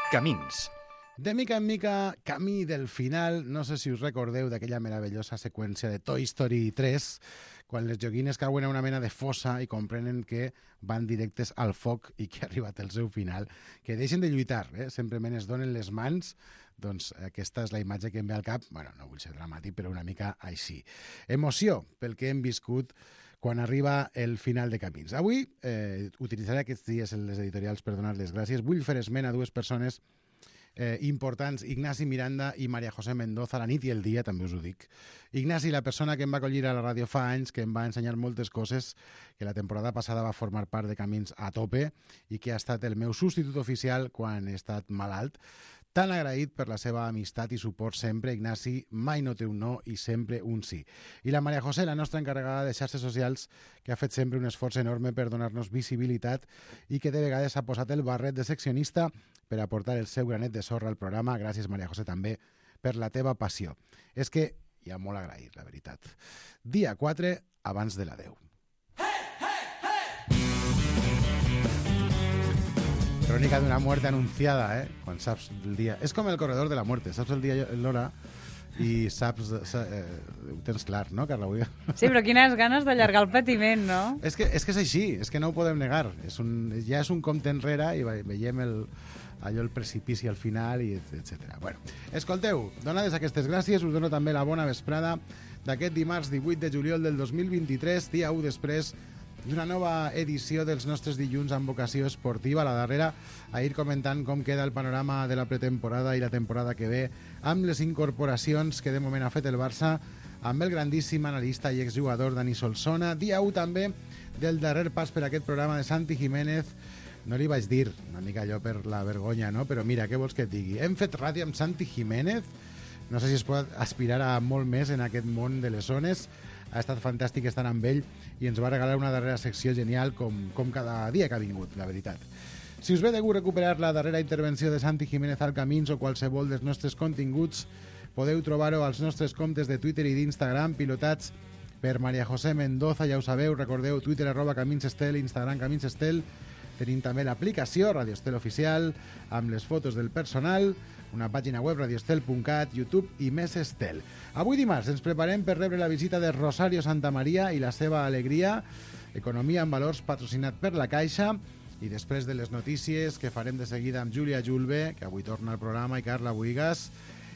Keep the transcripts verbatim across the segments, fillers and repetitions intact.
Camins. De mica en mica, camí del final. No sé si us recordeu d'aquella meravellosa seqüència de Toy Story tres, quan les joguines cauen a una mena de fossa i comprenen que van directes al foc i que ha arribat el seu final. Que deixen de lluitar, eh? Simplement es donen les mans. Doncs aquesta és la imatge que em ve al cap. Bueno, no vull ser dramàtic, però una mica així. Emoció pel que hem viscut quan arriba el final de Camins. Avui eh, utilitzaré aquests dies en les editorials per donar les gràcies. Vull fer esment a dues persones eh, importants, Ignasi Miranda i Maria José Mendoza, la nit i el dia, també us ho dic. Ignasi, la persona que em va acollir a la ràdio fa anys, que em va ensenyar moltes coses, que la temporada passada va formar part de Camins a tope i que ha estat el meu substitut oficial quan he estat malalt. Tan agraït per la seva amistat i suport sempre. Ignasi mai no té un no i sempre un sí. I la Maria José, la nostra encarregada de xarxes socials, que ha fet sempre un esforç enorme per donar-nos visibilitat i que de vegades ha posat el barret de seccionista per aportar el seu granet de sorra al programa. Gràcies, Maria José, també per la teva passió. És que hi ha molt agraït, la veritat. Dia quatre, abans de la deu. Crònica d'una muerte anunciada, eh? Quan saps el dia. És com el corredor de la muerte. Saps el dia i l'hora i saps... Eh, ho tens clar, no, Carla? Sí, però quines ganes d'allargar el patiment, no? És que, és que és així, és que no ho podem negar. És un, ja és un compte enrere i veiem el, allò, el precipici al final, i etcètera. Bueno, escolteu, donades aquestes gràcies, us dono també la bona vesprada d'aquest dimarts divuit de juliol del dos mil vint-i-tres, dia u després d'una nova edició dels nostres dilluns amb vocació esportiva. A la darrera, a ir comentant com queda el panorama de la pretemporada i la temporada que ve, amb les incorporacions que de moment ha fet el Barça, amb el grandíssim analista i exjugador Dani Solsona. Dia u també del darrer pas per aquest programa de Santi Jiménez. No li vaig dir, una mica allò per la vergonya, no? Però mira, què vols que et digui? Hem fet ràdio amb Santi Jiménez. No sé si es pot aspirar a molt més en aquest món de les zones. Ha estat fantàstic estar amb ell i ens va regalar una darrera secció genial com, com cada dia que ha vingut, la veritat. Si us ve de gust recuperar la darrera intervenció de Santi Jiménez al Camins o qualsevol dels nostres continguts, podeu trobar-ho als nostres comptes de Twitter i d'Instagram, pilotats per Maria José Mendoza, ja ho sabeu, recordeu, Twitter arroba Camins Estel, Instagram Camins Estel. Tenim també l'aplicació Radio Estel Oficial amb les fotos del personal, una pàgina web radioestel punt cat, YouTube i més Estel. Avui dimarts ens preparem per rebre la visita de Rosario Santamaría i la seva alegria, Economia en Valors, patrocinat per la Caixa, i després de les notícies que farem de seguida amb Júlia Julve, que avui torna al programa, i Carla Buigas,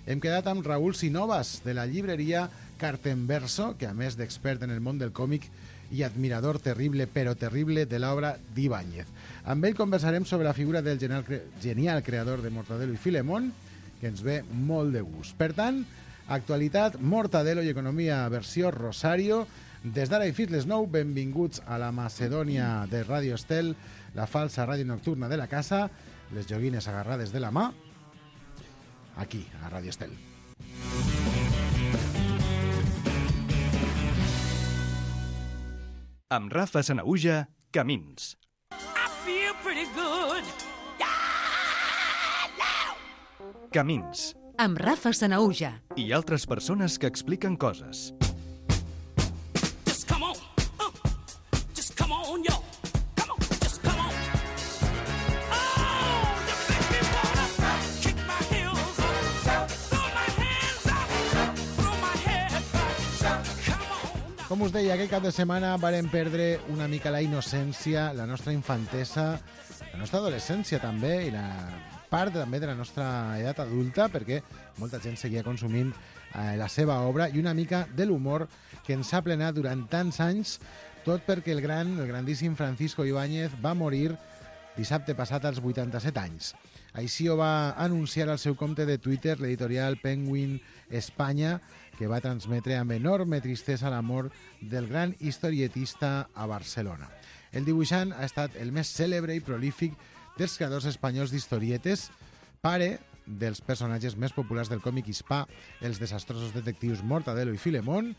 hem quedat amb Raúl Sinovas, de la llibreria Cartenverso, que a més d'expert en el món del còmic i admirador terrible, però terrible, de l'obra d'Ibáñez. Amb ell conversarem sobre la figura del genial, cre genial creador de Mortadelo i Filemón, que ens ve molt de gust. Per tant, actualitat, Mortadelo i economia versió Rosario. Des d'ara i fins les nou, benvinguts a la Macedònia de Radio Estel, la falsa ràdio nocturna de la casa, les joguines agarrades de la mà, aquí, a Radio Estel. Amb Rafa Sanahuja, Camins. I feel pretty good. Yeah, now. Camins. Amb Rafa Sanahuja. I altres persones que expliquen coses. Just come on. Uh, just come on, yo. Come on, just come on. Oh, you make me wanna kick my heels up, throw my hands up, throw my head back. Come on. Com us deia, aquest cap de setmana vàrem perdre una mica la innocència, la nostra infantesa, la nostra adolescència també, i la part també de la nostra edat adulta, perquè molta gent seguia consumint eh, la seva obra, i una mica de l'humor que ens ha plenat durant tants anys, tot perquè el gran, el grandíssim Francisco Ibáñez va morir dissabte passat als vuitanta-set anys. Així ho va anunciar al seu compte de Twitter l'editorial Penguin Espanya, que va transmetre amb enorme tristesa la mort del gran historietista a Barcelona. El dibuixant ha estat el més cèlebre i prolífic dels creadors espanyols d'historietes, pare dels personatges més populars del còmic hispà, els desastrosos detectius Mortadelo i Filemón,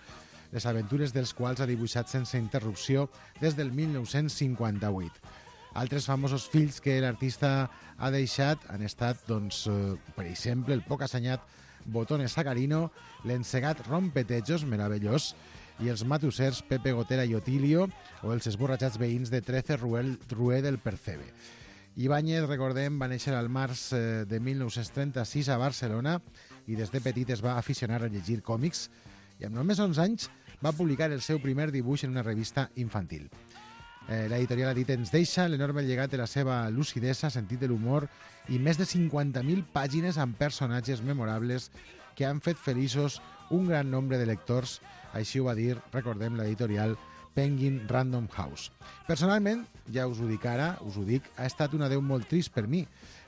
les aventures dels quals ha dibuixat sense interrupció des del mil nou-cents cinquanta-vuit. Altres famosos fills que l'artista ha deixat han estat, doncs, per exemple, el poc assenyat Botones Sacarino, l'encegat Rompetejos, meravellós, i els matussers Pepe Gotera i Otilio, o els esborratxats veïns de Trece Rué del Percebe. Ibáñez, recordem, va néixer al març eh, de mil nou-cents trenta-sis a Barcelona i des de petit es va aficionar a llegir còmics i amb només onze anys va publicar el seu primer dibuix en una revista infantil. Eh, L'editorial ha dit ens deixa l'enorme llegat de la seva lucidesa, sentit de l'humor i més de cinquanta mil pàgines amb personatges memorables que han fet feliços un gran nombre de lectors. Així ho va dir, recordem, l'editorial Penguin Random House. Personalment, ja us ho dic ara, us ho dic, ha estat un adeu molt trist per mi.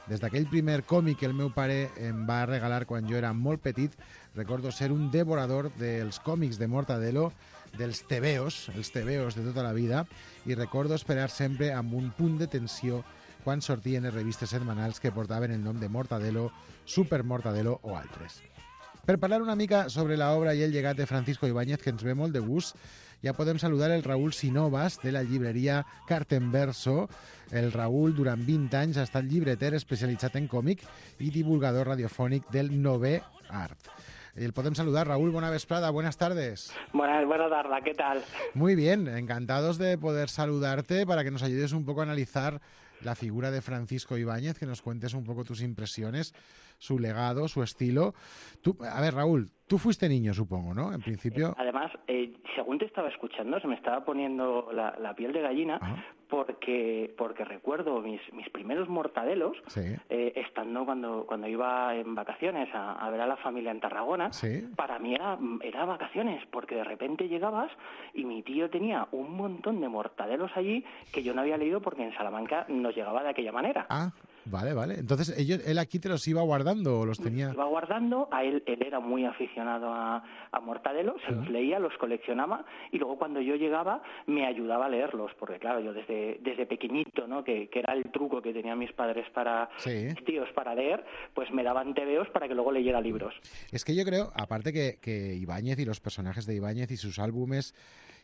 Des d'aquell primer còmic que el meu pare em va regalar quan jo era molt petit, recordo ser un devorador dels còmics de Mortadelo, dels tebeos, els tebeos de tota la vida, i recordo esperar sempre amb un punt de tensió quan sortien les revistes setmanals que portaven el nom de Mortadelo, Super Mortadelo o altres. Per parlar una mica sobre l'obra i el llegat de Francisco Ibáñez, que ens ve molt de gust, ja podem saludar el Raül Sinovas, de la llibreria Cartenverso. El Raül, durant vint anys, ha estat llibreter especialitzat en còmic i divulgador radiofònic del Nové Art. El podem saludar. Raúl, buena vesprada, buenas tardes. Buenas, buenas tardes, ¿qué tal? Muy bien, encantados de poder saludarte para que nos ayudes un poco a analizar la figura de Francisco Ibáñez, que nos cuentes un poco tus impresiones, su legado, su estilo. Tú, a ver, Raúl, tú fuiste niño, supongo, ¿no? En principio... Además, eh, según te estaba escuchando, se me estaba poniendo la, la piel de gallina, Ajá. porque porque recuerdo mis mis primeros mortadelos, Sí. eh, estando cuando cuando iba en vacaciones a, a ver a la familia en Tarragona. Sí. Para mí era, era vacaciones, porque de repente llegabas y mi tío tenía un montón de mortadelos allí que yo no había leído porque en Salamanca nos llegaba de aquella manera. Ah, vale, vale. Entonces, ellos, él aquí te los iba guardando o los tenía... Iba guardando, a él, él era muy aficionado a, a Mortadelo, se los leía, los coleccionaba y luego cuando yo llegaba me ayudaba a leerlos, porque claro, yo desde, desde pequeñito, ¿no? que, que era el truco que tenían mis padres para, Sí. mis tíos para leer, pues me daban tebeos para que luego leyera libros. Es que yo creo, aparte que, que Ibáñez y los personajes de Ibáñez y sus álbumes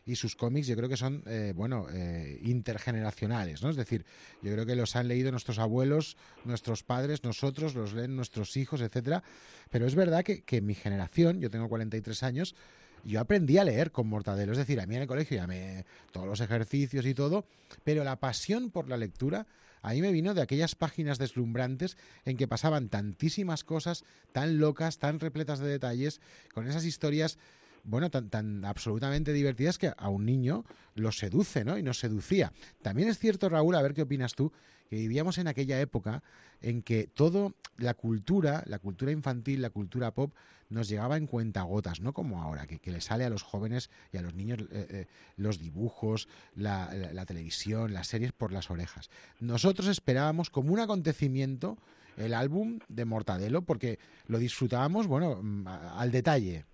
y sus cómics, yo creo que son, eh, bueno, eh, intergeneracionales, ¿no? Es decir, yo creo que los han leído nuestros abuelos, nuestros padres, nosotros, los leen nuestros hijos, etcétera. Pero es verdad que, que mi generación, yo tengo cuarenta y tres años, yo aprendí a leer con Mortadelo. Es decir, a mí en el colegio ya me... todos los ejercicios y todo, pero la pasión por la lectura a mí me vino de aquellas páginas deslumbrantes en que pasaban tantísimas cosas tan locas, tan repletas de detalles, con esas historias, bueno, tan, tan absolutamente divertidas que a un niño lo seduce, ¿no? Y nos seducía. También es cierto, Raúl, a ver qué opinas tú, que vivíamos en aquella época en que todo, la cultura, la cultura infantil, la cultura pop, nos llegaba en cuentagotas, no como ahora, que, que le sale a los jóvenes y a los niños eh, eh, los dibujos, la, la, la televisión, las series por las orejas. Nosotros esperábamos como un acontecimiento el álbum de Mortadelo porque lo disfrutábamos, bueno, al detalle.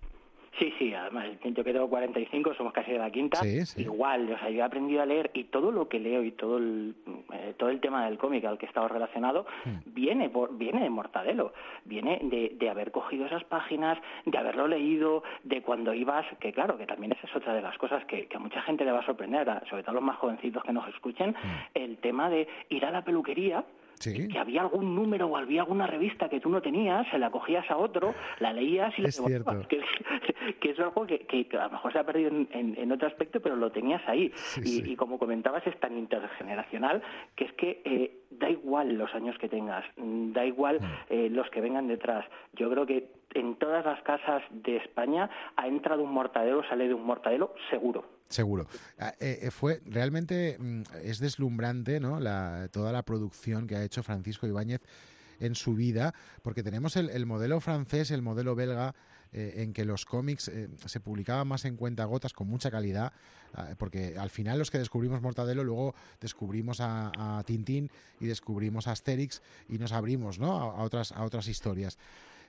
Sí, sí, además yo que tengo cuarenta y cinco, somos casi de la quinta, Sí, sí. igual, o sea, yo he aprendido a leer y todo lo que leo y todo el, eh, todo el tema del cómic al que he estado relacionado Hmm. viene por, viene de Mortadelo, viene de, de haber cogido esas páginas, de haberlo leído, de cuando ibas, que claro, que también esa es otra de las cosas que, que a mucha gente le va a sorprender, a- sobre todo a los más jovencitos que nos escuchen, el tema de ir a la peluquería, Sí. que había algún número o había alguna revista que tú no tenías, se la cogías a otro, la leías y la Es devorabas. cierto. Que, que es algo que, que a lo mejor se ha perdido en, en- en otro aspecto, pero lo tenías ahí. Sí, y, sí. y como comentabas, es tan intergeneracional que es que eh, da igual los años que tengas, mm, da igual eh, los que vengan detrás. Yo creo que en todas las casas de España ha entrado un Mortadelo, sale de un Mortadelo, seguro. Seguro. Ah, eh, eh, fue realmente mm, es deslumbrante, ¿no? La, toda la producción que ha hecho Francisco Ibáñez en su vida, porque tenemos el, el modelo francés, el modelo belga, eh, en que los cómics eh, se publicaban más en cuentagotas con mucha calidad, ah, porque al final los que descubrimos Mortadelo, luego descubrimos a, a Tintín y descubrimos a Asterix y nos abrimos, ¿no? a, a otras a otras historias.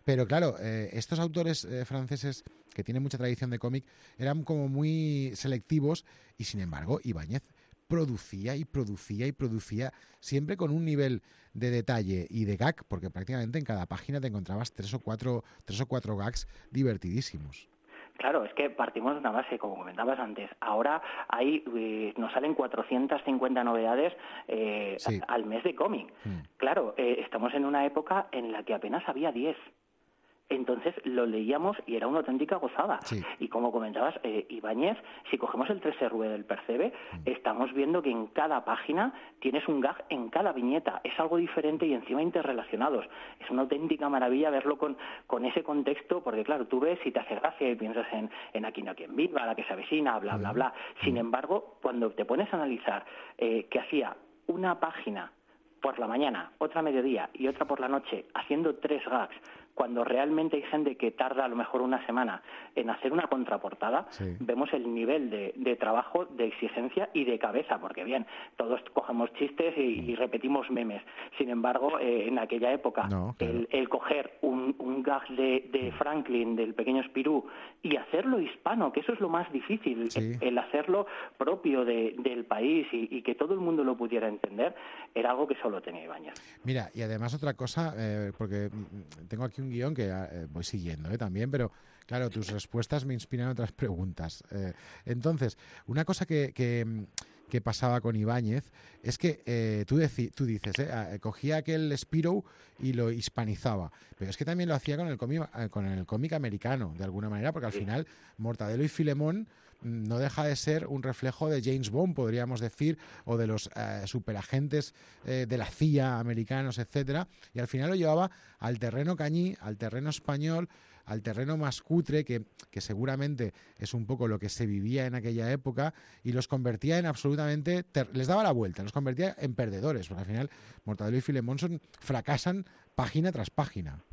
Pero claro, eh, estos autores eh, franceses que tienen mucha tradición de cómic eran como muy selectivos y sin embargo Ibáñez producía y producía y producía siempre con un nivel de detalle y de gag, porque prácticamente en cada página te encontrabas tres o cuatro, tres o cuatro gags divertidísimos. Claro, es que partimos de una base, como comentabas antes. Ahora hay, eh, nos salen cuatrocientas cincuenta novedades eh, Sí. al mes de cómic. Mm. Claro, eh, estamos en una época en la que apenas había diez. Entonces lo leíamos y era una auténtica gozada. Sí. Y como comentabas, eh, Ibáñez, si cogemos el tres R del Percebe, estamos viendo que en cada página tienes un gag en cada viñeta. Es algo diferente y encima interrelacionados. Es una auténtica maravilla verlo con, con ese contexto, porque claro, tú ves y te hace gracia y piensas en, en Aquí no hay quien viva, La que se avecina, bla, bla, bla. Sin embargo, cuando te pones a analizar eh, que hacía una página por la mañana, otra a mediodía y otra por la noche, haciendo tres gags, cuando realmente hay gente que tarda a lo mejor una semana en hacer una contraportada, Sí. vemos el nivel de, de trabajo, de exigencia y de cabeza, porque bien, todos cogemos chistes y, y repetimos memes. Sin embargo, eh, en aquella época, No, claro. el, el coger un, un gag de, de Franklin, del pequeño Spirú, y hacerlo hispano, que eso es lo más difícil, Sí. el, el hacerlo propio de- del país y, y que todo el mundo lo pudiera entender, era algo que solo tenía Ibáñez. Mira, y además otra cosa, eh, porque mm, tengo aquí un guión que eh, voy siguiendo eh, también, pero claro, tus respuestas me inspiran otras preguntas. Eh, entonces, una cosa que, que, mm, que pasaba con Ibáñez es que eh, tú, deci- tú dices, eh, ah, cogía aquel Spirou y lo hispanizaba, pero es que también lo hacía con el cómic, eh, con el cómic americano, de alguna manera, porque al final Mortadelo y Filemón mm, no deja de ser un reflejo de James Bond, podríamos decir, o de los eh, superagentes eh, de la C I A americanos, etcétera, y al final lo llevaba al terreno cañí, al terreno español, al terreno más cutre, que, que seguramente es un poco lo que se vivía en aquella época, y los convertía en absolutamente, ter- les daba la vuelta, los convertía en perdedores, porque al final Mortadelo y Filemón son, fracasan página tras página.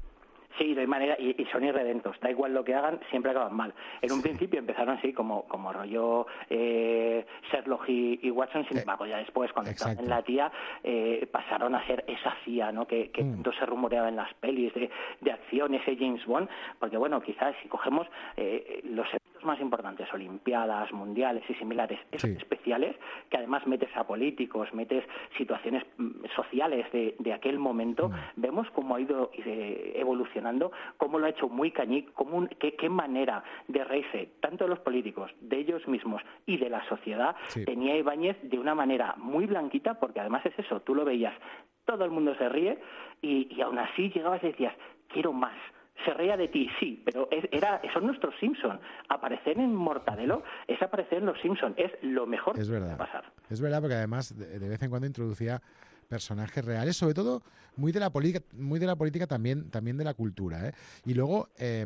Sí, no hay manera, y, y son irredentos, da igual lo que hagan, siempre acaban mal. En un Sí. principio empezaron así como, como rollo eh, Sherlock y, y Watson, sin Eh, embargo ya después, cuando estaban exacto. en la tía, eh, pasaron a ser esa C I A, ¿no? que, que Mm. tanto se rumoreaba en las pelis de, de acción, ese James Bond, porque bueno, quizás si cogemos eh, los eventos más importantes, Olimpiadas, Mundiales y similares, esos Sí. especiales, que además metes a políticos, metes situaciones mm, sociales de, de aquel momento, Mm. vemos cómo ha ido eh, evolucionando, cómo lo ha hecho muy cañí, cómo un- qué, qué manera de reírse tanto de los políticos, de ellos mismos y de la sociedad Sí. tenía Ibáñez de una manera muy blanquita, porque además es eso, tú lo veías, todo el mundo se ríe y, y aún así llegabas y decías, quiero más. Se reía de ti, sí, pero es- era, son nuestros Simpson. Aparecer en Mortadelo es aparecer en los Simpson, es lo mejor Es que verdad. puede pasar. Es verdad, porque además de, de vez en cuando introducía personajes reales, sobre todo muy de la política, muy de la política también, también de la cultura, ¿eh? Y luego eh,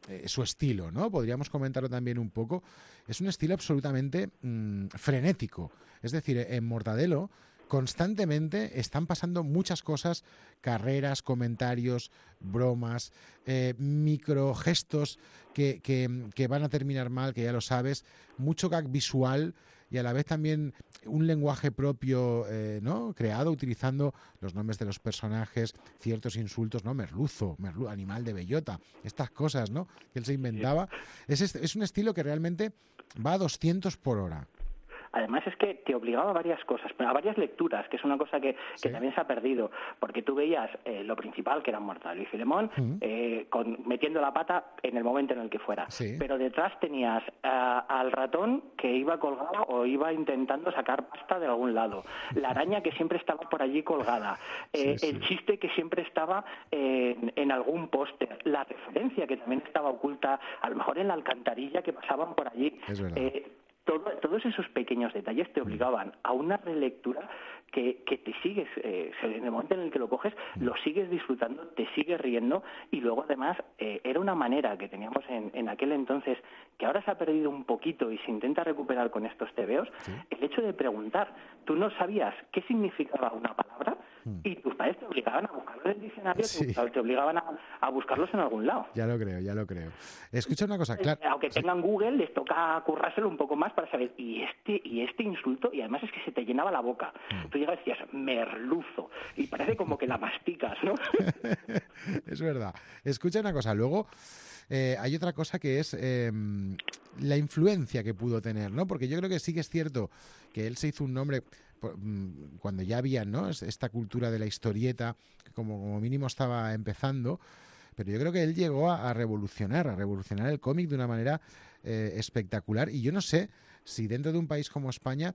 eh, su estilo, ¿no? Podríamos comentarlo también un poco. Es un estilo absolutamente mm, frenético. Es decir, en Mortadelo constantemente están pasando muchas cosas, carreras, comentarios, bromas, eh, microgestos que, que, que van a terminar mal, que ya lo sabes, mucho gag visual y a la vez también un lenguaje propio, eh, ¿no? Creado utilizando los nombres de los personajes, ciertos insultos, ¿no? Merluzo, merlu- animal de bellota, estas cosas, ¿no? Que él se inventaba. Es, est- es un estilo que realmente va a doscientos por hora. Además es que te obligaba a varias cosas, a varias lecturas, que es una cosa que, que Sí. también se ha perdido, porque tú veías eh, lo principal, que era Mortadelo y Filemón, Ujú. eh, con, metiendo la pata en el momento en el que fuera. Sí. Pero detrás tenías ah, al ratón que iba colgado o iba intentando sacar pasta de algún lado, la araña que siempre estaba por allí colgada, eh, Sí, sí. el chiste que siempre estaba eh, en, en algún póster, la referencia que también estaba oculta, a lo mejor en la alcantarilla que pasaban por allí. Es verdad. Eh, Todo- todos esos pequeños detalles te obligaban a una relectura que, que te sigues, eh, en el momento en el que lo coges, lo sigues disfrutando, te sigues riendo y luego además eh, era una manera que teníamos en, en aquel entonces, que ahora se ha perdido un poquito y se intenta recuperar con estos tebeos, Sí. el hecho de preguntar. Tú no sabías qué significaba una palabra Mm. y tus padres te obligaban a buscarlo en el diccionario, Sí. te, te obligaban a, a buscarlos en algún lado. Ya lo creo, ya lo creo. Escucha una cosa, claro. Eh, Aunque tengan Google, les toca currárselo un poco más para saber, y este y este insulto, y además es que se te llenaba la boca. Mm. Tú llegas y decías, merluzo, y parece como que la masticas, ¿no? Es verdad. Escucha una cosa, luego eh, hay otra cosa que es eh, la influencia que pudo tener, ¿no? Porque yo creo que sí que es cierto que él se hizo un nombre por- mm, cuando ya había, ¿no? Es- esta cultura de la historieta, que como, como mínimo estaba empezando, pero yo creo que él llegó a, a revolucionar, a revolucionar el cómic de una manera eh, espectacular. Y yo no sé si dentro de un país como España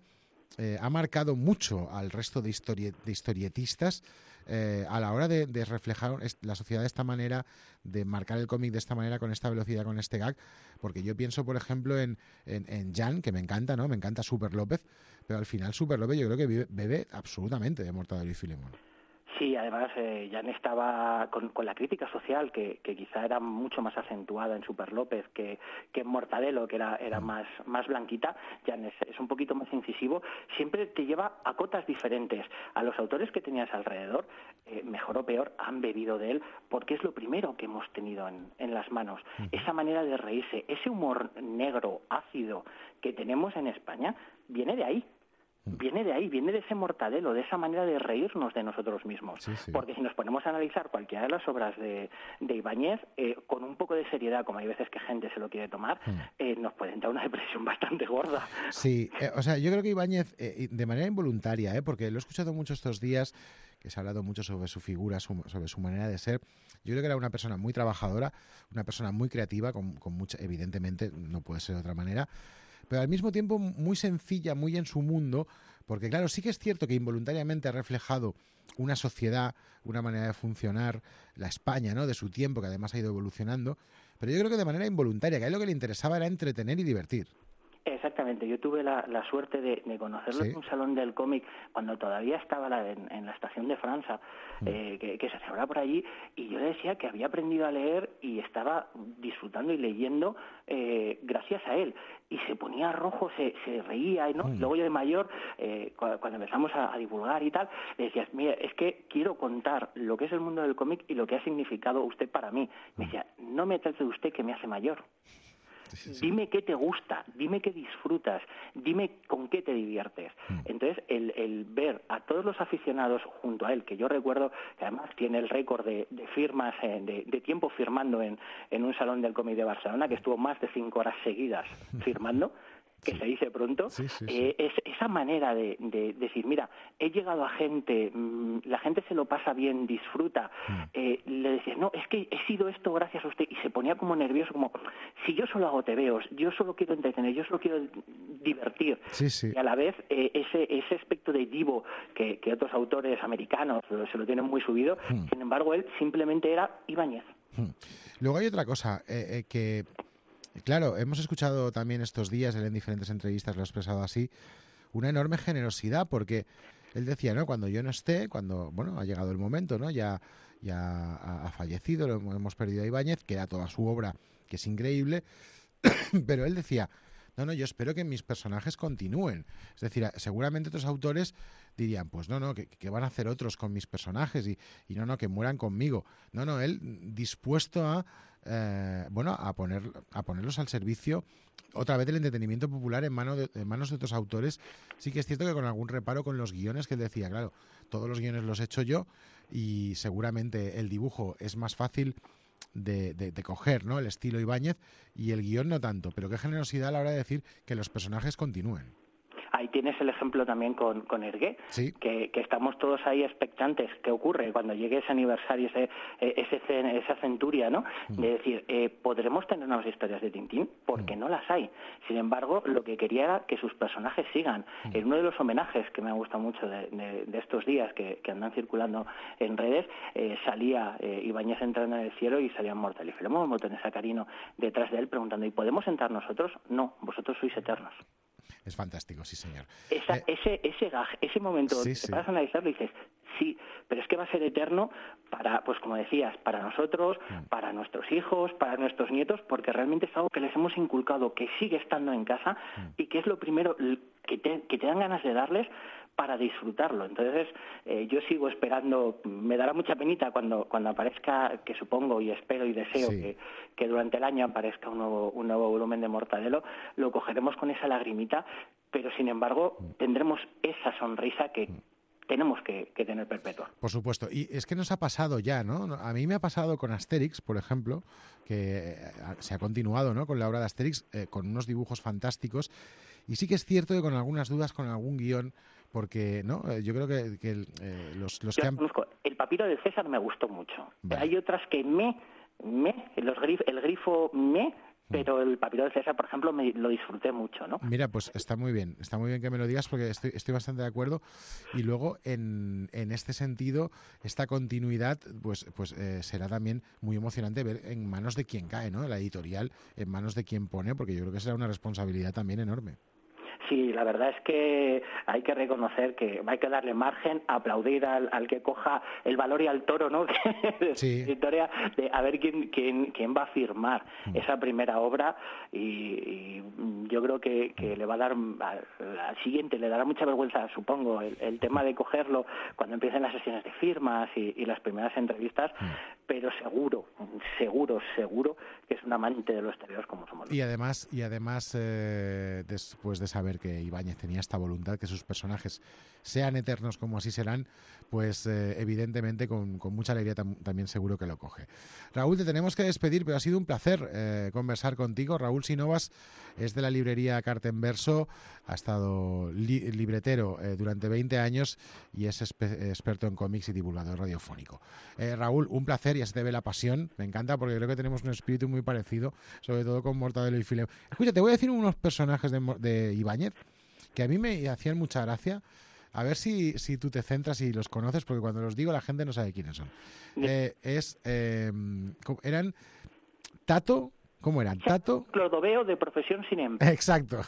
eh, ha marcado mucho al resto de, historie- de historietistas eh, a la hora de, de reflejar la sociedad de esta manera, de marcar el cómic de esta manera, con esta velocidad, con este gag, porque yo pienso, por ejemplo, en, en, en Jan, que me encanta, ¿no? Me encanta Super López, pero al final Super López yo creo que vive, bebe absolutamente de Mortadelo y Filemón. Sí, además eh, Jan estaba con, con la crítica social que, que quizá era mucho más acentuada en Super López que, que en Mortadelo, que era, era más, más blanquita. Jan es, es un poquito más incisivo, siempre te lleva a cotas diferentes. A los autores que tenías alrededor, eh, mejor o peor, han bebido de él porque es lo primero que hemos tenido en, en las manos. Uh-huh. Esa manera de reírse, ese humor negro, ácido que tenemos en España, viene de ahí. Viene de ahí, viene de ese Mortadelo, de esa manera de reírnos de nosotros mismos. Sí, sí. Porque si nos ponemos a analizar cualquiera de las obras de, de Ibáñez, eh, con un poco de seriedad, como hay veces que gente se lo quiere tomar, mm. eh, nos puede entrar una depresión bastante gorda. Sí, eh, o sea, yo creo que Ibáñez, eh, de manera involuntaria, eh, porque lo he escuchado mucho estos días, que se ha hablado mucho sobre su figura, su, sobre su manera de ser. Yo creo que era una persona muy trabajadora, una persona muy creativa, con, con mucha, evidentemente, no puede ser de otra manera, pero al mismo tiempo muy sencilla, muy en su mundo, porque claro, sí que es cierto que involuntariamente ha reflejado una sociedad, una manera de funcionar, la España, ¿no?, de su tiempo, que además ha ido evolucionando, pero yo creo que de manera involuntaria, que a él lo que le interesaba era entretener y divertir. Exactamente, yo tuve la, la suerte de, de conocerlo ¿Sí? en un salón del cómic cuando todavía estaba la, en, en la estación de Francia, mm. eh, que, que se celebraba por allí, y yo le decía que había aprendido a leer y estaba disfrutando y leyendo eh, gracias a él. Y se ponía rojo, se, se reía, ¿no? Mm. Luego yo de mayor, eh, cuando, cuando empezamos a, a divulgar y tal, le decías, mira, es que quiero contar lo que es el mundo del cómic y lo que ha significado usted para mí. Me decía, no me trate de usted que me hace mayor. Sí, sí. Dime qué te gusta, dime qué disfrutas, dime con qué te diviertes. Mm. Entonces, el, el ver a todos los aficionados junto a él, que yo recuerdo que además tiene el récord de, de firmas, eh, de, de tiempo firmando en, en un salón del cómic de Barcelona, que estuvo más de cinco horas seguidas firmando, que sí. se dice pronto, sí, sí, sí. Eh, es esa manera de, de, de decir, mira, he llegado a gente, mmm, la gente se lo pasa bien, disfruta, mm. eh, le decías, no, es que he sido esto gracias a usted, y se ponía como nervioso, como, si yo solo hago tebeos, yo solo quiero entretener, yo solo quiero divertir, sí, sí. y a la vez eh, ese, ese aspecto de divo que, que otros autores americanos se lo tienen muy subido, mm. sin embargo, él simplemente era Ibáñez. Mm. Luego hay otra cosa, eh, eh, que... Claro, hemos escuchado también estos días, él en diferentes entrevistas lo ha expresado así, una enorme generosidad, porque él decía, ¿no?, cuando yo no esté, cuando, bueno, ha llegado el momento, ¿no?, ya, ya ha, ha fallecido, lo hemos perdido a Ibáñez, que era toda su obra, que es increíble, pero él decía, no, no, yo espero que mis personajes continúen. Es decir, seguramente otros autores dirían, pues no, no, ¿qué, qué van a hacer otros con mis personajes? Y, y no, no, que mueran conmigo. No, no, él dispuesto a, eh, bueno, a, poner, a ponerlos al servicio otra vez del entretenimiento popular en, mano de, en manos de otros autores. Sí que es cierto que con algún reparo con los guiones, que él decía, claro, todos los guiones los he hecho yo y seguramente el dibujo es más fácil De, de, de coger, ¿no?, el estilo Ibáñez, y el guión no tanto, pero qué generosidad a la hora de decir que los personajes continúen. Ahí tienes el ejemplo también con, con Hergé, sí. que, que estamos todos ahí expectantes. ¿Qué ocurre cuando llegue ese aniversario, ese, ese esa centuria, ¿no? Mm. De decir, eh, ¿podremos tener nuevas historias de Tintín? Porque mm. no las hay. Sin embargo, lo que quería era que sus personajes sigan. Mm. En uno de los homenajes que me ha gustado mucho de, de, de estos días que, que andan circulando en redes, eh, salía eh, Ibáñez entrando en el cielo y salían Mortadelo y Filemón, Botones Sacarino detrás de él preguntando, ¿y podemos entrar nosotros? No, vosotros sois eternos. Es fantástico, sí, señor. Esa, eh, ese ese gag, ese momento, sí, te sí. paras a analizarlo y dices, sí, pero es que va a ser eterno para, pues como decías, para nosotros, mm. para nuestros hijos, para nuestros nietos, porque realmente es algo que les hemos inculcado, que sigue estando en casa mm. y que es lo primero que te, que te dan ganas de darles para disfrutarlo. Entonces, eh, yo sigo esperando, me dará mucha penita cuando cuando aparezca, que supongo y espero y deseo sí. que, que durante el año aparezca un nuevo, un nuevo volumen de Mortadelo, lo cogeremos con esa lagrimita, pero sin embargo tendremos esa sonrisa que tenemos que, que tener perpetua. Por supuesto, y es que nos ha pasado ya, ¿no? A mí me ha pasado con Asterix, por ejemplo, que se ha continuado, ¿no?, con la obra de Asterix, eh, con unos dibujos fantásticos, y sí que es cierto que con algunas dudas, con algún guión, porque no, yo creo que, que eh, los, los yo que han... conozco. El papiro de César me gustó mucho. Vale. Hay otras que me, me, los grif, el grifo me pero el Papiro de César, por ejemplo, me lo disfruté mucho, ¿no? Mira, pues está muy bien, está muy bien que me lo digas porque estoy, estoy bastante de acuerdo. Y luego, en, en este sentido, esta continuidad pues, pues eh, será también muy emocionante ver en manos de quien cae, ¿no? La editorial, en manos de quien pone, porque yo creo que será una responsabilidad también enorme. Sí, la verdad es que hay que reconocer que hay que darle margen, aplaudir al, al que coja el valor y al toro, ¿no? de Sí. la historia, de a ver quién, quién, quién va a firmar Mm. esa primera obra y, y yo creo que, que le va a dar al, al siguiente, le dará mucha vergüenza, supongo, el, el tema de cogerlo cuando empiecen las sesiones de firmas y, y las primeras entrevistas, Mm. pero seguro, seguro, seguro que es un amante de los tebeos como somos. Y además, y además eh, después de saber que Ibáñez tenía esta voluntad, que sus personajes sean eternos como así serán, pues eh, evidentemente con, con mucha alegría tam- también seguro que lo coge. Raúl, te tenemos que despedir, pero ha sido un placer eh, conversar contigo. Raúl Sinovas es de la librería Carta en Verso, ha estado li- libretero eh, durante veinte años y es espe- experto en cómics y divulgador radiofónico. Eh, Raúl, un placer, ya se te ve la pasión, me encanta porque creo que tenemos un espíritu muy parecido, sobre todo con Mortadelo y Filemón. Escucha, te voy a decir unos personajes de, Mo- de Ibáñez que a mí me hacían mucha gracia. A ver si, si tú te centras y los conoces, porque cuando los digo la gente no sabe quiénes son. Eh, es eh, ¿cómo- eran Tato, ¿cómo eran? Tato, Clodoveo de profesión sin empleo. exacto.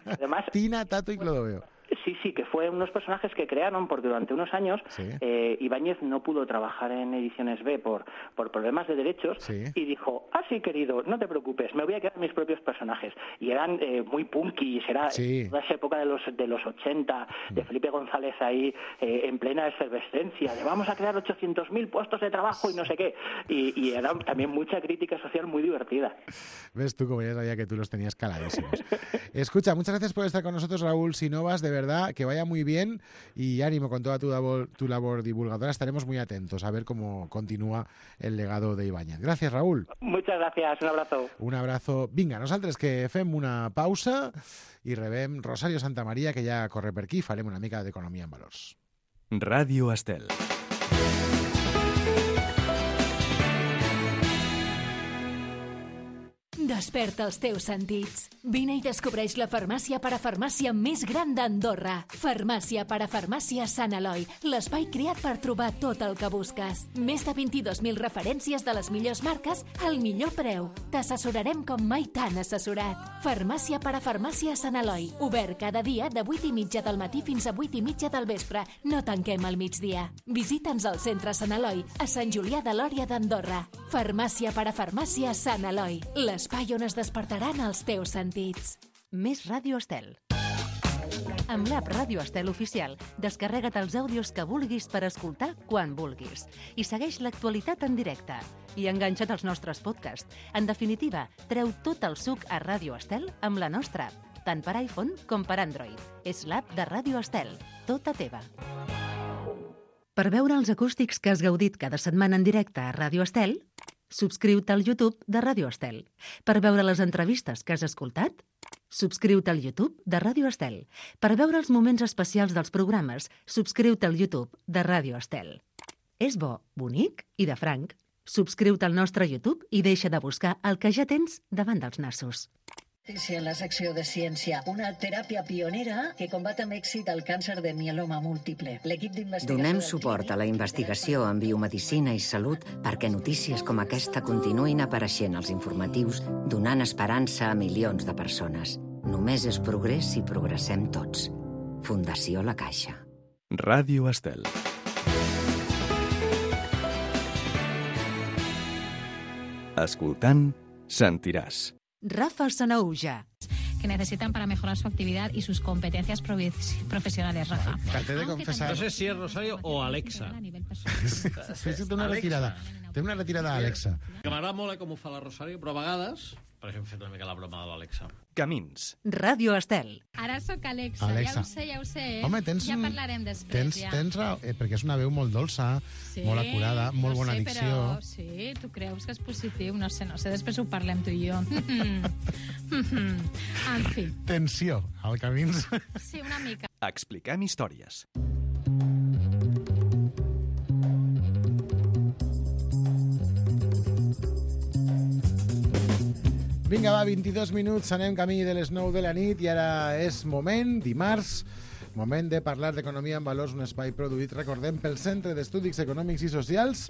Además, Tina, Tato y Clodoveo. sí, sí, que fue unos personajes que crearon porque durante unos años Sí. eh, Ibáñez no pudo trabajar en Ediciones B por, por problemas de derechos Sí. y dijo, ah, sí, querido, no te preocupes, me voy a quedar mis propios personajes. Y eran eh, muy punkis, era Sí. toda esa época de los de los ochenta, de Felipe González ahí eh, en plena efervescencia, de vamos a crear ochocientos mil puestos de trabajo y no sé qué. Y, y era también mucha crítica social muy divertida. Ves tú, como ya sabía que tú los tenías caladísimos. Escucha, muchas gracias por estar con nosotros, Raúl Sinovas, de verdad, que vaya muy bien y ánimo con toda tu labor, tu labor divulgadora. Estaremos muy atentos a ver cómo continúa el legado de Ibáñez. Gracias, Raúl. Muchas gracias, un abrazo. Un abrazo. Vinga, nosaltres que fem una pausa i rebem Rosario Santamaria, que ja corre per aquí, farem una mica d'economia en valors. Ràdio Estel. Desperta els teus sentits. Vine i descobreix la farmàcia parafarmàcia més gran d'Andorra. Farmàcia parafarmàcia Sant Eloi, l'espai creat per trobar tot el que busques. Més de vint-i-dos mil referències de les millors marques al millor preu. T'assessorarem com mai t'han assessorat. Farmàcia parafarmàcia Sant Eloi, obert cada dia de vuit i mitja del matí fins a vuit i mitja del vespre. No tanquem al migdia. Visita'ns al centre Sant Eloi, a Sant Julià de Lòria d'Andorra. Farmàcia parafarmàcia Sant Eloi, l'espai on es despertaran els teus sentits. Més Ràdio Estel. Amb l'app Ràdio Estel Oficial, descarrega't els àudios que vulguis per escoltar quan vulguis. I segueix l'actualitat en directe. I enganxa't als nostres podcasts. En definitiva, treu tot el suc a Ràdio Estel amb la nostra app, tant per iPhone com per Android. És l'app de Ràdio Estel, tota teva. Per veure els acústics que has gaudit cada setmana en directe a Ràdio Estel, subscriu-te al YouTube de Ràdio Estel. Per veure les entrevistes que has escoltat, subscriu-te al YouTube de Ràdio Estel. Per veure els moments especials dels programes, subscriu-te al YouTube de Ràdio Estel. És bo, bonic i de franc. Subscriu-te al nostre YouTube i deixa de buscar el que ja tens davant dels nassos. En la secció de ciència, una teràpia pionera que combat amb èxit el càncer de mieloma múltiple. L'equip d'investigació... Donem suport a la investigació en biomedicina i salut perquè notícies com aquesta continuïn apareixent als informatius, donant esperança a milions de persones. Només és progrés si progressem tots. Fundació La Caixa. Ràdio Estel. Escoltant, sentiràs. Rafa Sanaúja. Que necesitan para mejorar su actividad y sus competencias provi- profesionales, Rafa. Te he de confesar... No sé si es Rosario o Alexa. Sí, sí, té una retirada. Té una retirada a Alexa. Que m'agrada molt eh, com ho fa la Rosario, però a vegades... Per això hem fet una mica la broma de l'Alexa. Camins. Ràdio Estel. Ara sóc Alexa, Alexa. ja ho sé, ja ho sé. eh? Home, tens... Ja un- parlarem després, Tens, ja. tens raó, eh, perquè és una veu molt dolça, Sí, molt acurada, molt no bona sé, dicció. Però, sí, tu creus que és positiu? No sé, no sé, després ho parlem tu i jo. En fi, Tensió, al camins. sí, una mica. Expliquem històries. Vinga, va, vint-i-dos minuts, anem camí de les nou de la nit i ara és moment, dimarts, moment de parlar d'economia en valors, un espai produït, recordem, pel Centre d'Estudis Econòmics i Socials.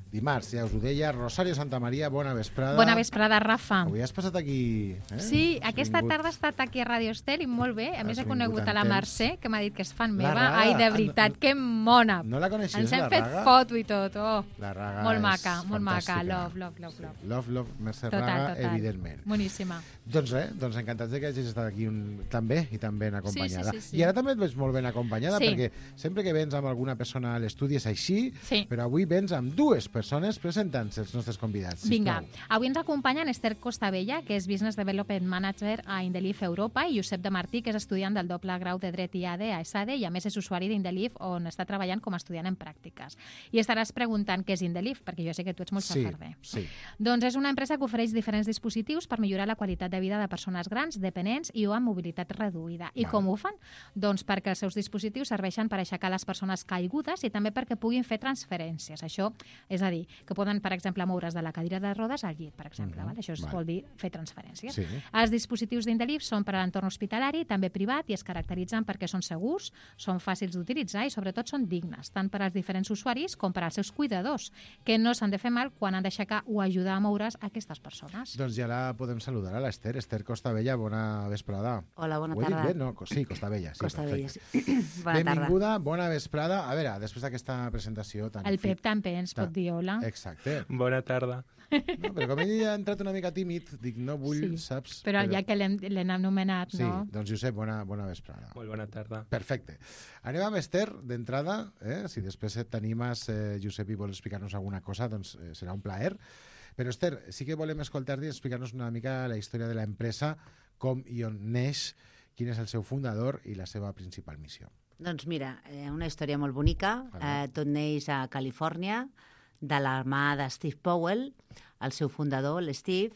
Dimarts, ja us ho deia, Rosario Santamaria, bona vesprada. Bona vesprada, Rafa. Avui has passat aquí... Eh? Sí, Has aquesta vingut. tarda he estat aquí a Radio Estel i molt bé. A més, Has he conegut vingut a la en Mercè, que m'ha dit que és fan La meva. Raga. Ai, de Ah, veritat, no- que mona. No la coneixies, Ens hem la fet Raga? foto i tot. Oh. La Raga Molt és maca, molt maca. fantàstica. Love, love, love, love. Love, love, Mercè Total, Raga, total. evidentment. Boníssima. Doncs res, doncs encantats de que hagis estat aquí un... també i tan ben acompanyada. Sí, sí, sí, sí. I ara també et veig molt ben acompanyada, Sí. perquè sempre que vens amb alguna persona a l'estudi és així, Sí. però avui vens amb dues persones presentant-se els nostres convidats. Vinga, Sisplau. avui ens acompanyen Esther Costabella, que és Business Development Manager a Indelif Europa, i Josep de Martí, que és estudiant del doble grau de Dret I A D a ESADE i a més és usuari d'Indelif, on està treballant com a estudiant en pràctiques. I estaràs preguntant què és Indelif, perquè jo sé que tu ets molt Sí, safarder. sí. Doncs és una empresa que ofereix diferents dispositius per millorar la qualitat de vida de persones grans, dependents i o amb mobilitat reduïda. I Val. com ho fan? Doncs perquè els seus dispositius serveixen per aixecar les persones caigudes i també perquè puguin fer transferències. Això, és a dir, que poden, per exemple, moure's de la cadira de rodes al llit, per exemple. Mhm. Val? Això es Val. vol dir fer transferències. Sí. Els dispositius d'Indelif són per a l'entorn hospitalari, també privat, i es caracteritzen perquè són segurs, són fàcils d'utilitzar i sobretot són dignes, tant per als diferents usuaris com per als seus cuidadors, que no s'han de fer mal quan han d'aixecar o ajudar a moure's aquestes persones. Doncs ja la podem saludar a l'Ester. Esther Costabella, bona vesprada. Hola, bona Ho he dit tarda. bé? No, co- sí, Costabella. Sí, Costabella, perfecte. sí. Bona tarda. Benvinguda, bona vesprada. A veure, després d'aquesta presentació tan... El fi- Pep també ens pot tan- dir hola. Exacte. Bona tarda. No, però com ell ha entrat una mica tímid, dic, no vull, Sí, saps? Però ja que l'hem l'hem anomenat, Sí, no? doncs Josep, bona, bona vesprada. Molt bona tarda. Perfecte. Anem amb Esther, d'entrada. Eh? Si després et t'animes, eh, Josep, i vols explicar-nos alguna cosa, doncs eh, serà un plaer. Però, Esther, sí que volem escoltar-te i explicar-nos una mica la història de l'empresa, com i on neix, quin és el seu fundador i la seva principal missió. Doncs mira, eh, una història molt bonica. Eh, tot neix a Califòrnia, de la mà de Steve Powell, el seu fundador, l'Steve.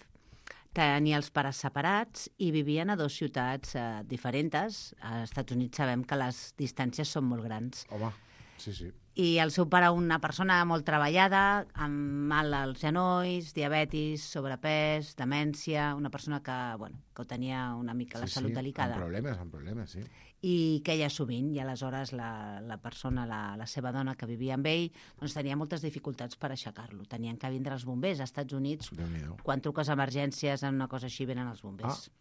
Tenia els pares separats i vivien a dues ciutats eh, diferents. Als Estats Units sabem que les distàncies són molt grans. Home, sí, sí. I el seu pare, una persona molt treballada, amb mal als genolls, diabetis, sobrepès, demència, una persona que, bueno, que ho tenia una mica la sí, salut sí, delicada. Amb problemes, amb problemes, sí. I queia sovint, i aleshores la, la persona, la, la seva dona que vivia amb ell, doncs tenia moltes dificultats per aixecar-lo. Tenien que vindre els bombers. Als Estats Units, Déu-n'hi-do. quan truques a emergències en una cosa així, venen els bombers. Ah,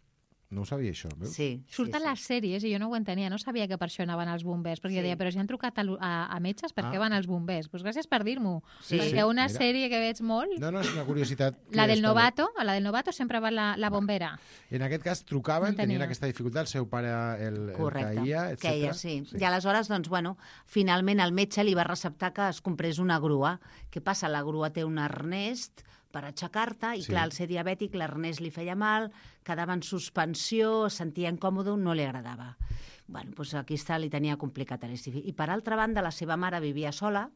no ho sabia, això, veus? Sí, Surten sí, sí. les sèries i jo no ho entenia, no sabia que per això anaven els bombers, perquè Sí. jo deia, però si han trucat a, l'u- a, a metges, per què Ah. van els bombers? Doncs gràcies per dir-m'ho, Sí, perquè sí, una mira. sèrie que veig molt, No, no, és una curiositat. que la del està bé. novato, a la del novato sempre va la, la bombera. En aquest cas trucaven, No tenia. tenien aquesta dificultat, el seu pare el, el Correcte, caïa, etcètera. queia, sí. I aleshores, doncs, bueno, finalment el metge li va receptar que es comprés una grua. Què passa? La grua té un arnès per aixecar-te, i Sí. clar, al ser diabètic l'arnès li feia mal, quedava en suspensió, es sentia incòmode, no li agradava. Bueno, doncs aquí està, li tenia complicat a l'Steve. I per altra banda, la seva mare vivia sola,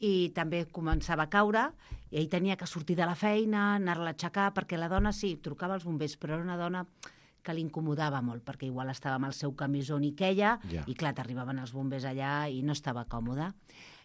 i també començava a caure, i ell tenia que sortir de la feina, anar-la a aixecar, perquè la dona, sí, trucava als bombers, però era una dona que l'incomodava molt, perquè igual estava amb el seu camisó ni queia, Ja. i clar, t'arribaven els bombers allà i no estava còmode.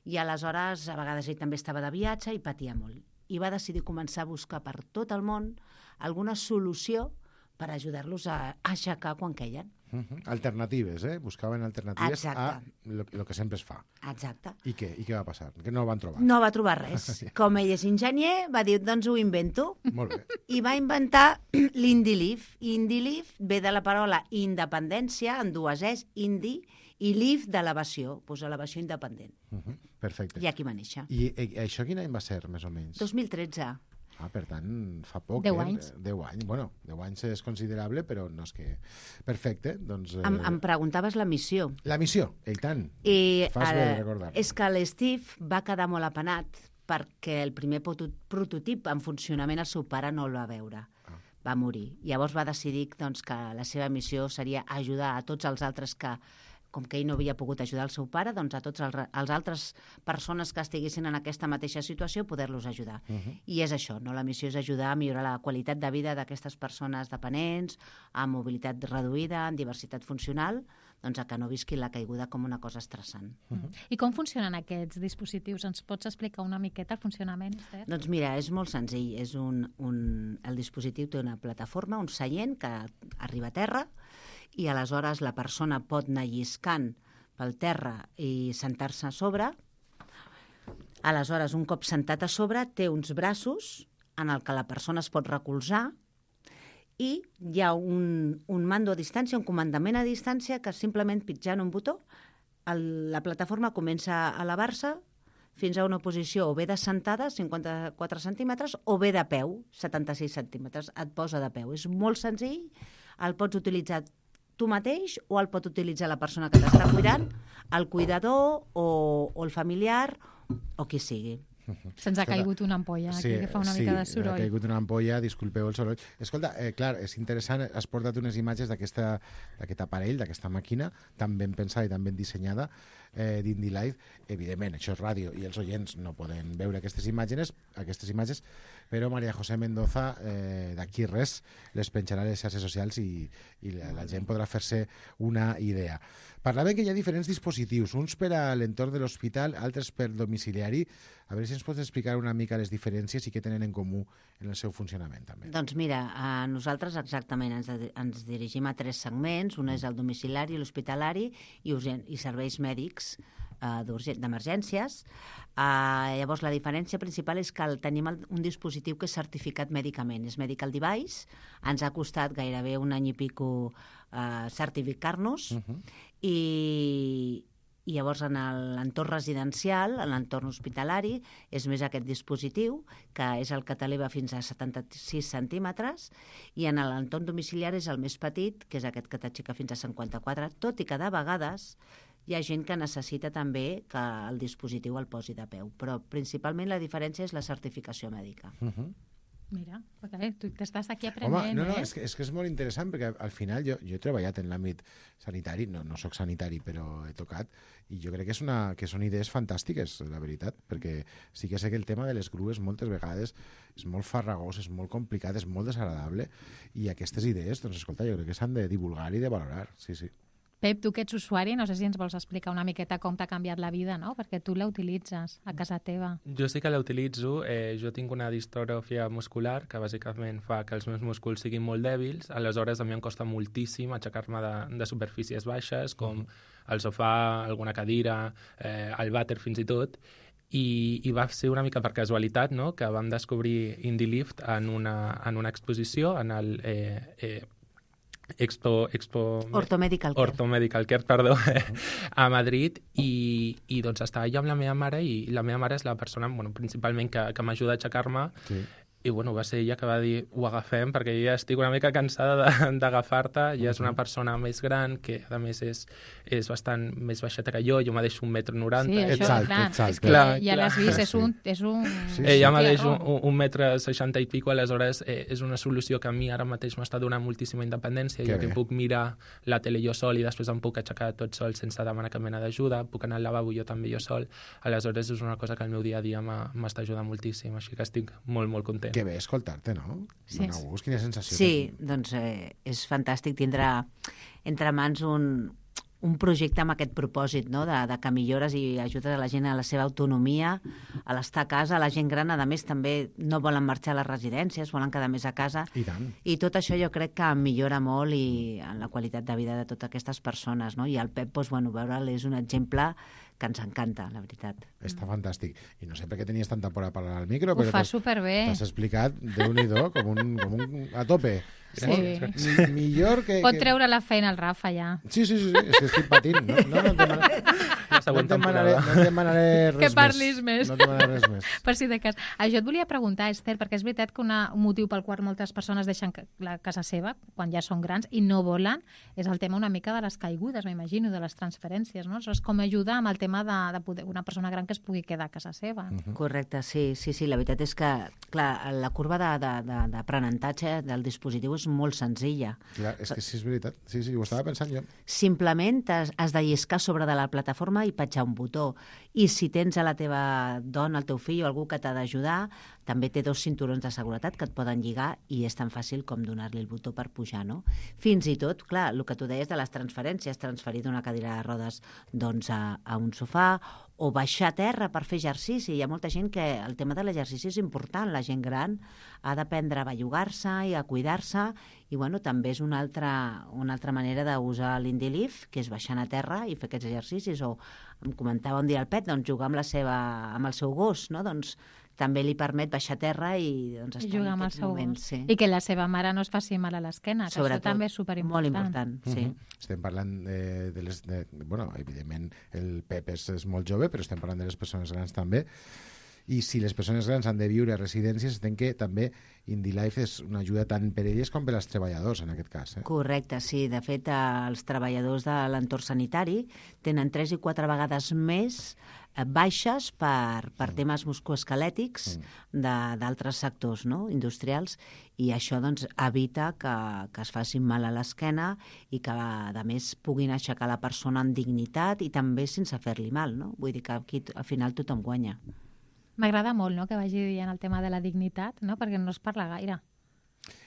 I aleshores, a vegades ell també estava de viatge i patia molt. I va decidir començar a buscar per tot el món alguna solució per ajudar-los a aixecar quan queien. Uh -huh. Alternatives, eh? Buscaven alternatives Exacte. a el que sempre es fa. Exacte. I què? I què va passar? Que no el van trobar? No va trobar res. Com ell és enginyer, va dir, doncs ho invento. Molt bé. I va inventar l'Indilif. Indilif ve de la paraula independència, en dues es, indi, i lif d'elevació, doncs elevació independent. Uh -huh. Perfecte. I aquí va néixer. I, i això quin any va ser, més o menys? dos mil tretze. Ah, per tant, fa poc. Deu eh? anys. Deu anys. Bueno, deu anys és considerable, però no és que... Perfecte, doncs... Eh... Em, em preguntaves la missió. La missió, i tant. I Fas bé de eh, recordar. és que l'Steve va quedar molt apenat perquè el primer proto- prototip en funcionament el seu pare no el va veure. Ah. Va morir. Llavors va decidir doncs, que la seva missió seria ajudar a tots els altres que, com que ell no havia pogut ajudar el seu pare, doncs a tots els, re- els altres persones que estiguessin en aquesta mateixa situació, poder-los ajudar. Uh -huh. I és això, no? La missió és ajudar a millorar la qualitat de vida d'aquestes persones dependents, amb mobilitat reduïda, amb diversitat funcional, doncs, a que no visqui la caiguda com una cosa estressant. Mm. I com funcionen aquests dispositius? Ens pots explicar una miqueta el funcionament, Esther? Doncs mira, és molt senzill. És un, un, el dispositiu té una plataforma, un seient que arriba a terra, i aleshores la persona pot anar lliscant pel terra i sentar-se a sobre. Aleshores, un cop sentat a sobre, té uns braços en el que la persona es pot recolzar i hi ha un, un mando a distància, un comandament a distància que simplement pitjant un botó el, la plataforma comença a elevar-se fins a una posició o bé de sentada, cinquanta-quatre centímetres, o bé de peu, setanta-sis centímetres. Et posa de peu. És molt senzill, el pots utilitzar tu mateix o el pot utilitzar la persona que t'està cuidant, el cuidador o, o el familiar o qui sigui. Se'ns ha caigut una ampolla aquí, que fa una mica de Sí, soroll. ha caigut una ampolla, disculpeu el soroll. Escolta, eh, clar, és interessant, has portat unes imatges d'aquest aparell, d'aquesta màquina, tan ben pensada i tan ben dissenyada, eh, d'Indie Life. Evidentment, això és ràdio i els oients no poden veure aquestes imatges, aquestes imatges, però María José Mendoza, eh, d'aquí res, les penjarà a les xarxes socials i, i la, la gent podrà fer-se una idea. Parlaven que hi ha diferents dispositius, uns per a l'entorn de l'hospital, altres per domiciliari. A veure si ens pots explicar una mica les diferències i què tenen en comú en el seu funcionament, també. Doncs mira, a nosaltres exactament ens, ens dirigim a tres segments. Un és el domiciliari, l'hospitalari i, urgent, i serveis mèdics eh, d'emergències. Eh, llavors, la diferència principal és que el, tenim el, un dispositiu que és certificat mèdicament. És Medical Device. Ens ha costat gairebé un any i pico eh, certificar-nos. Uh-huh. I... I llavors en l'entorn residencial, en l'entorn hospitalari, és més aquest dispositiu, que és el que t'eleva fins a setanta-sis centímetres, i en l'entorn domiciliari és el més petit, que és aquest que t'aixeca fins a cinquanta-quatre, tot i que de vegades hi ha gent que necessita també que el dispositiu el posi de peu. Però principalment la diferència és la certificació mèdica. Uh-huh. Mira, perquè tu t'estàs aquí aprenent, Home, no, no, eh? és que, és que és molt interessant, perquè al final jo, jo he treballat en l'àmbit sanitari, no, no sóc sanitari, però he tocat, i jo crec que, és una, que són idees fantàstiques, la veritat, perquè sí que sé que el tema de les grues moltes vegades és molt farragós, és molt complicat, és molt desagradable, i aquestes idees, doncs escolta, jo crec que s'han de divulgar i de valorar, sí, sí. Pep, tu que ets usuari, no sé si ens vols explicar una miqueta com t'ha canviat la vida, no? Perquè tu la utilitzes a casa teva. Jo sí que la utilitzo. Eh, jo tinc una distròfia muscular que bàsicament fa que els meus músculs siguin molt dèbils. Aleshores, a mi em costa moltíssim aixecar-me de, de superfícies baixes, com el sofà, alguna cadira, eh, el vàter fins i tot. I, i va ser una mica per casualitat, no?, que vam descobrir Indie Lift en una, en una exposició en el... Eh, eh, Expo, Expo Ortomedical Care, Ortomedical Care perdó, a Madrid, i, i doncs estava jo amb la meva mare, i la meva mare és la persona, bueno, principalment que, que m'ajuda a aixecar-me, sí. I bueno, va ser ella que va dir ho agafem, perquè ja estic una mica cansada d'agafar-te, ja és una persona més gran, que a més és, és bastant més baixeta que jo, jo me deixo un metre noranta. Sí, això, alt, clar, ets alt, és que clar, ja clar. l'has vist, és un... És un... Sí, sí. Ella me deixo un, un metre seixanta i pico, aleshores eh, és una solució que a mi ara mateix m'està donant moltíssima independència, que jo bé. que puc mirar la tele jo sol i després em puc aixecar tot sol sense demanar cap mena d'ajuda, puc anar al lavabo jo també jo sol, aleshores és una cosa que el meu dia a dia m'està ajudant moltíssim, així que estic molt, molt content. Que bé escoltar-te, no? Sí. Dóna gust, quina sensació. Sí, doncs eh, és fantàstic tindre entre mans un, un projecte amb aquest propòsit, no?, de, de que millores i ajudes a la gent a la seva autonomia, a l'estar a casa. La gent gran, a més, també no volen marxar a les residències, volen quedar més a casa. I tant. I tot això jo crec que millora molt i en la qualitat de vida de totes aquestes persones, no? I el Pep, doncs, bueno, veure'l és un exemple que ens encanta, la veritat. Està fantàstic. I no sé per què tenies tanta por a parlar al micro, Ho però fa t'has- superbé. t'has explicat, Déu-n'hi-do, com un, com un... a tope. Sí. Mi, millor que... Pot que... treure la feina al Rafa, ja. Sí, sí, sí, sí, és que estic patint. No, no, no, et demanaré, La no, següent et demanaré, temporada. no et demanaré res Que parlis més. No et demanaré res més. Per si de cas. Ah, jo et volia preguntar, Esther, perquè és veritat que una, un motiu pel qual moltes persones deixen ca- la casa seva, quan ja són grans, i no volen, és el tema una mica de les caigudes, m'imagino, de les transferències, no? Aleshores, com ajudar amb el tema de, de poder, una persona gran que es pugui quedar a casa seva. Mm. Correcte, sí, sí, sí. La veritat és que, clar, la curva de- de- de- d'aprenentatge de, del dispositiu fos molt senzilla. Clar, és que sí, és veritat. Sí, sí, ho estava pensant jo. Simplement has, has de lliscar sobre de la plataforma i petjar un botó. I si tens a la teva dona, el teu fill o algú que t'ha d'ajudar, també té dos cinturons de seguretat que et poden lligar i és tan fàcil com donar-li el botó per pujar, no? Fins i tot, clar, el que tu deies de les transferències, transferir d'una cadira de rodes doncs, a, a un sofà o baixar a terra per fer exercici. Hi ha molta gent que el tema de l'exercici és important. La gent gran ha d'aprendre a bellugar-se i a cuidar-se i bueno, també és una altra, una altra manera d'usar l'Indilift, que és baixant a terra i fer aquests exercicis. O em comentava un dia el Pet, doncs, jugar amb, la seva, amb el seu gos, no? Doncs també li permet baixar a terra i doncs, estar jugar en amb el aquests seu moments. gos. Sí. I que la seva mare no es faci mal a l'esquena, que Sobretot, això també és superimportant. molt important, sí. Uh -huh. Estem parlant de, de les... De, bueno, evidentment, el Pep és, és molt jove, però estem parlant de les persones grans també. I si les persones grans han de viure a residències, entenc que també IndyLife és una ajuda tant per elles com per als treballadors, en aquest cas. Eh? Correcte, sí. De fet, els treballadors de l'entorn sanitari tenen tres i quatre vegades més baixes per, per mm. temes musculoesquelètics mm. d'altres sectors, no? Industrials, i això doncs, evita que, que es facin mal a l'esquena i que, a més, puguin aixecar la persona amb dignitat i també sense fer-li mal, no? Vull dir que aquí al final tothom guanya. M'agrada molt, no?, que vagi dient el tema de la dignitat, no?, perquè no es parla gaire.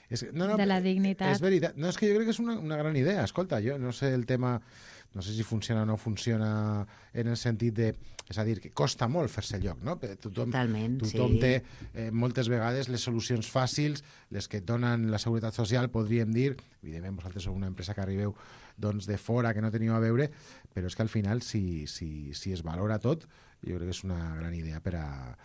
És, no, no, de la dignitat. És veritat. No, és que jo crec que és una, una gran idea. Escolta, jo no sé el tema... No sé si funciona o no funciona en el sentit de... És a dir, que costa molt fer-se lloc, no? Tothom, Totalment, tothom sí. té eh, moltes vegades les solucions fàcils, les que et donen la Seguretat Social, podríem dir, evidentment vosaltres sou una empresa que arribeu doncs, de fora, que no teniu a veure, però és que al final, si, si, si es valora tot, jo crec que és una gran idea per a,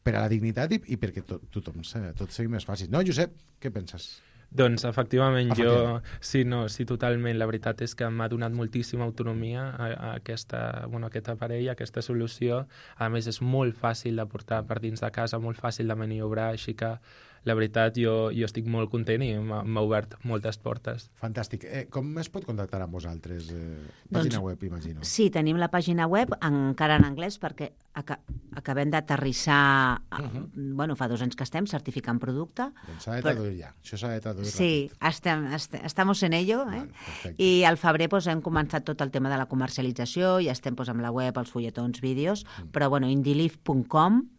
per a la dignitat i, i perquè tot, tothom, tot sigui més fàcil. No, Josep, què penses? Doncs, efectivament, jo sí, no, sí, totalment. La veritat és que m'ha donat moltíssima autonomia a, a, aquesta, bueno, a aquest aparell, a aquesta solució. A més, és molt fàcil de portar per dins de casa, molt fàcil de maniobrar, així que la veritat, jo, jo estic molt content i m'ha obert moltes portes. Fantàstic. Eh, com es pot contactar amb vosaltres? Eh, pàgina doncs, web, imagino. Sí, tenim la pàgina web, encara en anglès, perquè aca acabem d'aterrissar, uh -huh. bueno, fa dos anys que estem certificant producte. Doncs s'ha de traduir ja. Això s'ha de traduir Sí, estem, est estamos en ello. Eh? Vale, I al febrer pues, hem començat tot el tema de la comercialització, ja estem pues, amb la web, els fulletons, vídeos, mm. però bueno, indylift punt com,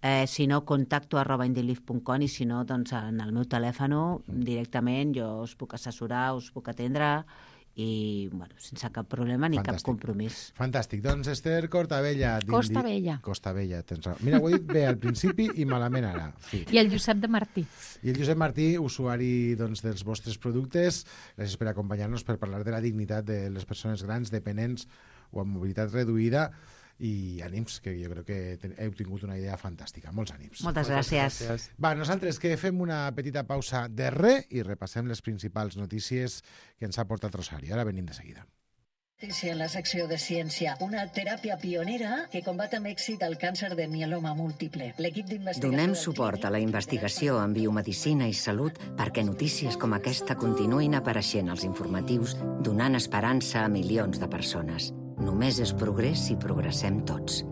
eh, si no, contacto arroba indylift punt com i si no, doncs en el meu telèfon directament jo us puc assessorar, us puc atendre i, bueno, sense cap problema ni Fantàstic. cap compromís. Fantàstic. Doncs Esther Cortabella. Costa Vella. Costa Vella, tens raó. Mira, ho he dit bé al principi i malament ara. Sí. I el Josep de Martí. I el Josep Martí, usuari doncs, dels vostres productes. Gràcies per acompanyar-nos per parlar de la dignitat de les persones grans, dependents o amb mobilitat reduïda. I ànims, que jo crec que heu tingut una idea fantàstica. Molts ànims. Moltes gràcies. gràcies. Va, nosaltres que fem una petita pausa de re i repassem les principals notícies que ens ha portat Rosario. Ara venim de seguida. Notícia en la secció de ciència. Una teràpia pionera que combat amb èxit el càncer de mieloma múltiple. L'equip d'investigació... Donem suport a la investigació en biomedicina i salut perquè notícies com aquesta continuïn apareixent als informatius, donant esperança a milions de persones. Només és progrés si progressem tots.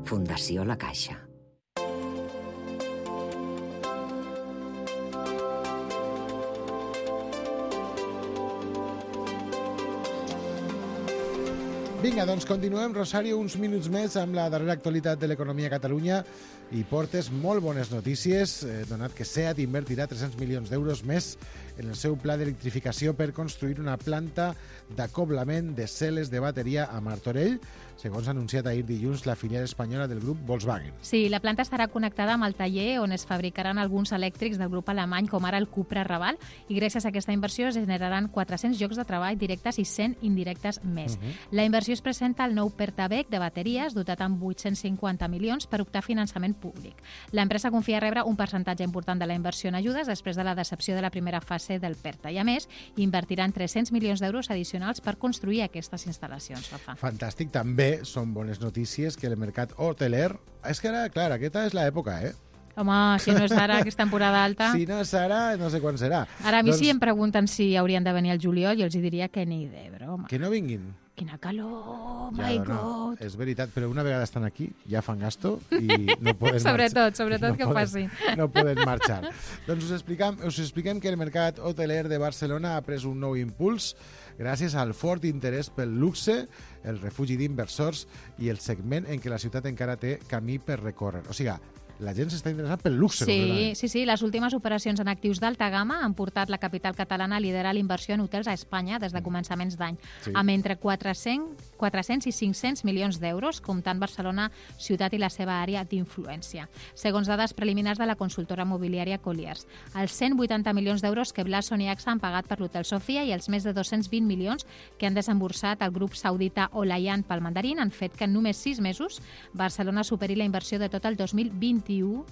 Fundació La Caixa. Vinga, doncs continuem, Rosario, uns minuts més amb la darrera actualitat de l'economia a Catalunya i portes molt bones notícies, eh, donat que SEAT invertirà tres-cents milions d'euros més en el seu pla d'electrificació per construir una planta d'acoblament de cel·les de bateria a Martorell, segons ha anunciat ahir dilluns la filial espanyola del grup Volkswagen. Sí, la planta estarà connectada amb el taller on es fabricaran alguns elèctrics del grup alemany, com ara el Cupra Raval, i gràcies a aquesta inversió es generaran quatre-cents llocs de treball directes i cent indirectes més. Uh -huh. La inversió es presenta al nou Pertabec de bateries, dotat amb vuit-cents cinquanta milions per optar finançament públic. L'empresa confia rebre un percentatge important de la inversió en ajudes després de la decepció de la primera fase del Perta i, a més, invertiran tres-cents milions d'euros addicionals per construir aquestes instal·lacions. Rafa. Fantàstic. També són bones notícies que el mercat hoteler... És que ara, clar, aquesta és l'època, eh? Home, si no és ara, que és temporada alta... Si no és ara, no sé quan serà. Ara a mi doncs... si em pregunten si haurien de venir al juliol, jo els diria que ni de broma. Que no vinguin. Quina calor, Ja, my no, God. és veritat, però una vegada estan aquí ja fan gasto i no poden Sobretot, marxar. sobretot no que ho poden, facin. No poden marxar. Doncs us expliquem, us expliquem que el mercat hoteler de Barcelona ha pres un nou impuls gràcies al fort interès pel luxe, el refugi d'inversors i el segment en què la ciutat encara té camí per recórrer. O sigui, la gent s'està interessant pel luxe. Sí, sí, sí. Les últimes operacions en actius d'alta gamma han portat la capital catalana a liderar la inversió en hotels a Espanya des de començaments d'any, Sí. amb entre quatre-cents, quatre-cents i cinc-cents milions d'euros, comptant Barcelona ciutat i la seva àrea d'influència. Segons dades preliminars de la consultora mobiliària Colliers, els cent vuitanta milions d'euros que Blason i A X A han pagat per l'Hotel Sofia i els més de dos-cents vint milions que han desemborsat el grup saudita Olayan pel Mandarín han fet que en només sis mesos Barcelona superi la inversió de tot el dos mil vint-i-u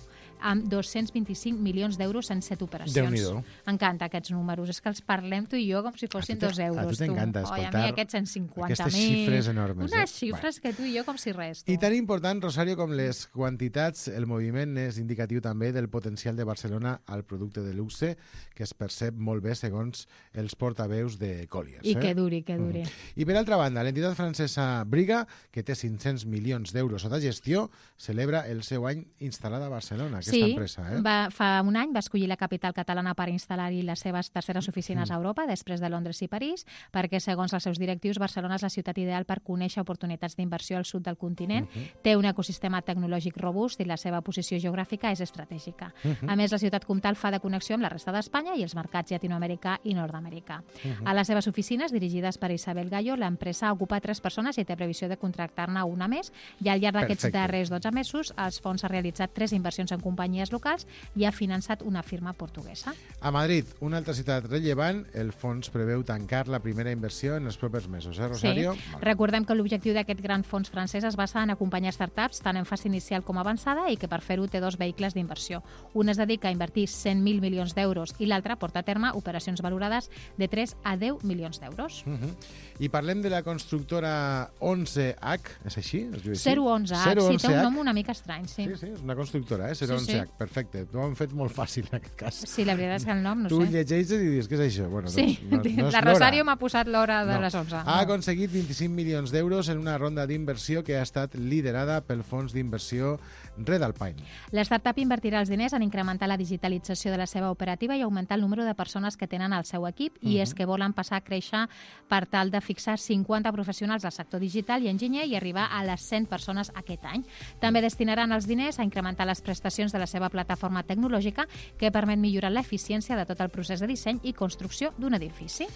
amb dos-cents vint-i-cinc milions d'euros en set operacions. Déu-n'hi-do. M'encanta aquests números. És que els parlem tu i jo com si fossin dos euros. a tu t'encanta Oi, a escoltar mi aquests cent cinquanta mil. aquestes xifres enormes, Unes eh? xifres que tu i jo com si res. Tu. I tan important, Rosario, com les quantitats, el moviment és indicatiu també del potencial de Barcelona al producte de luxe, que es percep molt bé segons els portaveus de Colliers. I eh? que duri, que duri. Mm. I per altra banda, l'entitat francesa Briga, que té cinc-cents milions d'euros sota gestió, celebra el seu any instal·lada a Barcelona, aquesta sí, empresa. Eh? va, fa un any va escollir la capital catalana per instal·lar-hi les seves terceres oficines Mm. a Europa, després de Londres i París, perquè, segons els seus directius, Barcelona és la ciutat ideal per conèixer oportunitats d'inversió al sud del continent, Mhm. té un ecosistema tecnològic robust i la seva posició geogràfica és estratègica. Mhm. A més, la ciutat comtal fa de connexió amb la resta d'Espanya i els mercats llatinoamericà i nord-americà. Mhm. A les seves oficines, dirigides per Isabel Gallo, l'empresa ocupa tres persones i té previsió de contractar-ne una més, i al llarg d'aquests Perfecte. darrers dotze mesos els fons ha realitzat tres inversions en companyies locals i ha finançat una firma portuguesa. A Madrid, una altra ciutat rellevant, el fons preveu tancar la primera inversió en els propers mesos, eh, Rosario? Sí. Recordem que l'objectiu d'aquest gran fons francès es basa en acompanyar startups tant en fase inicial com avançada i que per fer-ho té dos vehicles d'inversió. Un es dedica a invertir cent mil milions d'euros i l'altre porta a terme operacions valorades de tres a deu milions d'euros. Uh -huh. I parlem de la constructora onze H, és així? Es diu així? zero onze H, sí, té un nom una mica estrany, sí. Sí, sí, és una constructora, eh? zero onze H, Sí, sí. perfecte. T'ho han fet molt fàcil en aquest cas. Sí, la veritat és que el nom no tu sé. llegeixes i dius, què és això? Bueno, Sí, doncs, no, no és la l'hora. Rosario m'ha posat l'hora de No. les onze. Ha aconseguit vint-i-cinc milions d'euros en una ronda d'inversió que ha estat liderada pel fons d'inversió Red Alpine. L'startup invertirà els diners en incrementar la digitalització de la seva operativa i augmentar el número de persones que tenen al seu equip, i Mhm. és que volen passar a créixer per tal de fixar cinquanta professionals del sector digital i enginyer i arribar a les cent persones aquest any. També destinaran els diners a incrementar les prestacions de la seva plataforma tecnològica, que permet millorar l'eficiència de tot el procés de disseny i construcció d'un edifici.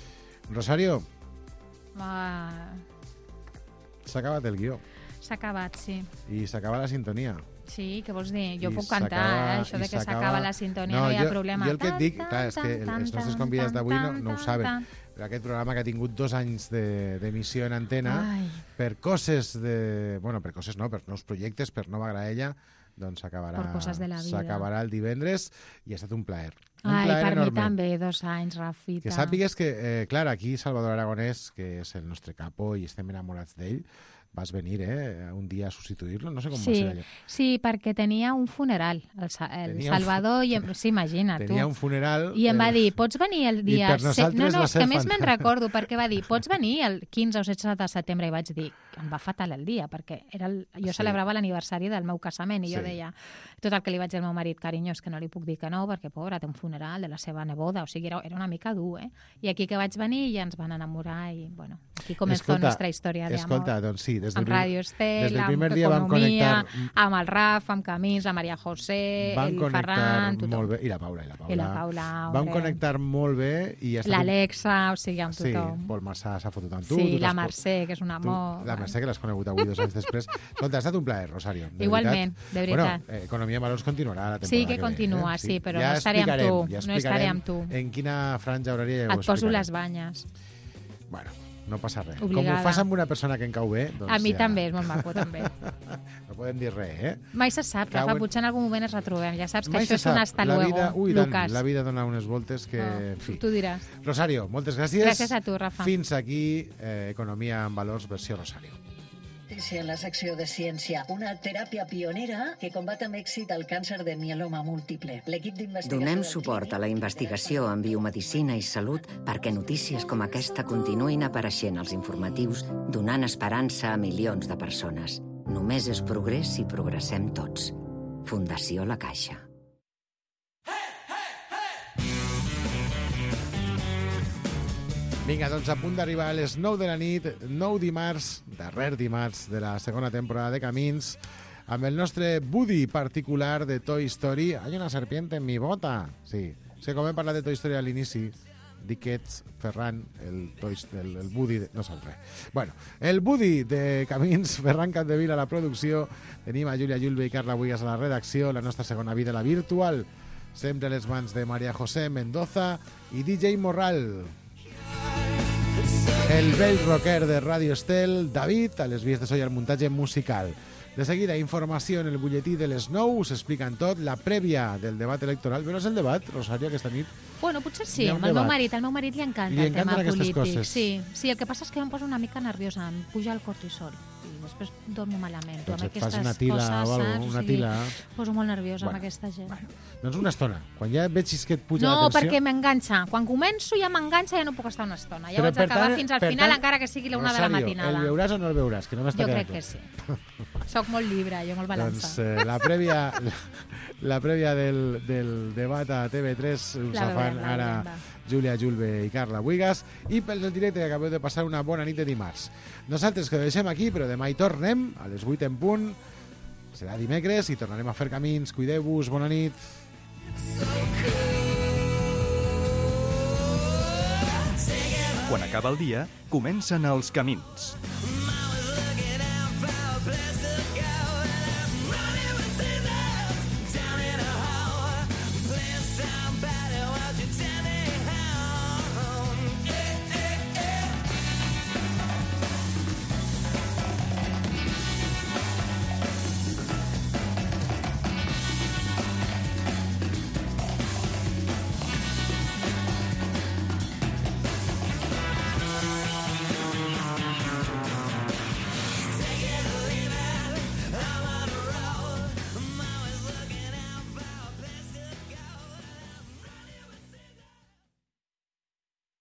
Rosario, Ah, s'ha acabat el guió S'ha acabat, sí. i s'acaba la sintonia. Sí, què vols dir? Jo I puc s'acaba- cantar, eh? Això i de que s'acaba- s'acaba la sintonia, no, No, hi ha jo- problema. jo el que et dic, Tan, clar, és que tan, els nostres tan, convidats d'avui no, tan, no ho tan, saben, tan. però aquest programa que ha tingut dos anys de- d'emissió en antena, Ai. per coses de... Bueno, per coses no, per nous projectes, per Nova Graella, doncs s'acabarà Per coses de la vida. s'acabarà el divendres i ha estat un plaer. Un Ai, plaer per enorme. mi també, dos anys, Rafita. Que sàpigues que, eh, clar, aquí Salvador Aragonès, que és el nostre capo i estem enamorats d'ell, vas venir, eh, un dia a substituir-lo, no sé com va Sí, ser allò. sí, perquè tenia un funeral, el, Sa- el Tenia un Salvador, i em, sí, imagina, tu. Tenia un funeral... I em va eh, dir, pots venir el i dia... per se- nosaltres no, no, va és ser que a més me'n fantàstic. recordo, perquè va dir, pots venir el quinze o setze de setembre, i vaig dir, em va fatal el dia, perquè era el, jo Sí. celebrava l'aniversari del meu casament, i jo Sí. deia, tot el que li vaig dir al meu marit, carinyo, és que no li puc dir que no, perquè, pobra, té un funeral de la seva neboda, o sigui, era, era una mica dur, eh? I aquí que vaig venir ja ens van enamorar, i, bueno, aquí comenzó Escolta, nuestra història d'amor. Escolta, doncs sí, des del, Amb prim- Ràdio Estel, des del amb primer dia vam Economia, connectar... amb el Raf, amb Camins, amb Maria José, Van el connectar Ferran, tothom. molt bé. I la Paula, i la Paula. I la Paula, Van hombre. connectar molt bé i ha estat un- L'Alexa, o sigui, amb Sí, tothom. Pol Massà s'ha fotut amb tu. Sí, tu la t'has- Mercè, que és un tu- amor. La Mercè, que l'has conegut avui dos anys després. Escolta, ha estat un plaer, Rosario. De Igualment, veritat. de veritat. Bueno, eh, Economia en Valors continuarà la temporada Sí, que ve, continua, eh? sí, però no estaré amb explicarem, tu, ja no estaré explicarem amb tu. En quina franja horària ja ho Et poso explicarem. les banyes. Bueno, no passa res. Obligada. Com ho fas amb una persona que em cau bé, doncs A mi ja... també, és molt maco, també. No podem dir res, eh? Mai se sap, Cauen- Rafa, potser en algun moment ens retrobem. Ja saps que Mai això se és un sap. hasta la luego, vida, ui, tant, Lucas. la vida dona unes voltes que... No, en fi. tu diràs. Rosario, moltes gràcies. Gràcies a tu, Rafa. Fins aquí, eh, Economia en Valors, versió Rosario. Notícia en la secció de ciència. Una teràpia pionera que combat amb èxit el càncer de mieloma múltiple. L'equip d'investigació... Donem suport a la investigació en biomedicina i salut perquè notícies com aquesta continuïn apareixent als informatius, donant esperança a milions de persones. Només és progrés si progressem tots. Fundació La Caixa. Vinga, doncs a punt d'arribar a les nou de la nit, nou dimarts, darrer dimarts de la segona temporada de Camins, amb el nostre Woody particular de Toy Story. Hay una serpiente en mi bota. Sí, és que com hem parlat de Toy Story a l'inici, dic que ets Ferran, el, Toy, el, el Woody... De... No sap res. Bueno, el Woody de Camins, Ferran Capdevila a la producció, tenim a Júlia Julve i Carla Buigas a la redacció, la nostra segona vida, la virtual, sempre a les mans de María José Mendoza i D J Morral. El vell rocker de Radio Estel, David, a les vies de so i al muntatge musical. De seguida, informació en el butlletí de les nou, us expliquen tot, la prèvia del debat electoral. Veuràs el debat, Rosario, aquesta nit? Bueno, potser sí, amb el meu marit. Al meu marit li encanta li el tema polític. Coses. Sí, sí, el que passa és que em poso una mica nerviosa, em puja el cortisol i després dormo malament. Doncs amb et fas aquestes una tila coses, o alguna saps? una O sigui, tila. em poso molt nerviosa Bueno, amb aquesta gent. Bueno, doncs una estona. Quan ja vegis que et puja No, la tensió... perquè m'enganxa. Quan començo ja m'enganxa, ja no puc estar una estona. Ja Però ho haig d'acabar tant- fins al per final, tant, encara que sigui la una de la Rosario, matinada. el veuràs o no el veuràs? Que no m'està Jo quedant crec que clar. sí. Soc molt llibre, jo molt balança. Doncs eh, la prèvia, la, la prèvia del, del debat a T V tres us La la fan veurem, la ara veurem, va. Júlia Julve i Carla Buigas, i pel del directe que acabeu de passar una bona nit de dimarts. Nosaltres que ho deixem aquí, però demà hi tornem a les vuit en punt. Serà dimecres i tornarem a fer camins. Cuideu-vos, bona nit. Quan acaba el dia, comencen els camins.